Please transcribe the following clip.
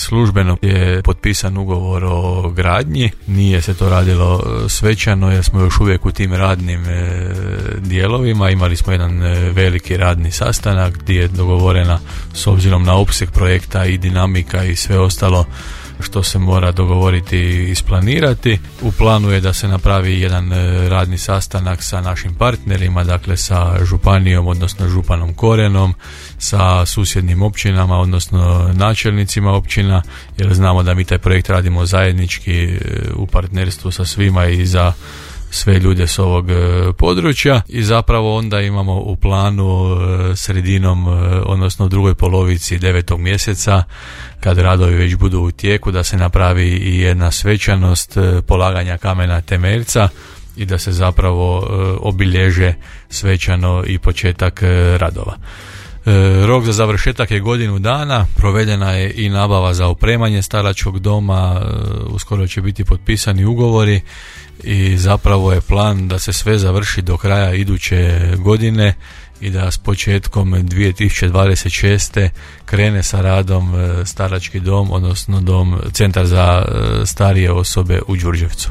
službeno je potpisan ugovor o gradnji, nije se to radilo svečano jer smo još uvijek u tim radnim dijelovima. Imali smo jedan veliki radni sastanak gdje je dogovorena, s obzirom na opseg projekta i dinamika i sve ostalo što se mora dogovoriti i isplanirati. U planu je da se napravi jedan radni sastanak sa našim partnerima, dakle sa županijom, odnosno županom Korenom, sa susjednim općinama, odnosno načelnicima općina, jer znamo da mi taj projekt radimo zajednički u partnerstvu sa svima i za sve ljude s ovog područja, i zapravo onda imamo u planu sredinom, odnosno u drugoj polovici 9. mjeseca, kad radovi već budu u tijeku, da se napravi i jedna svečanost polaganja kamena temeljca i da se zapravo obilježe svečano i početak radova. Rok za završetak je godinu dana, provedena je i nabava za opremanje staračkog doma, uskoro će biti potpisani ugovori i zapravo je plan da se sve završi do kraja iduće godine i da s početkom 2026. krene sa radom starački dom, odnosno centar za starije osobe u Đurđevcu.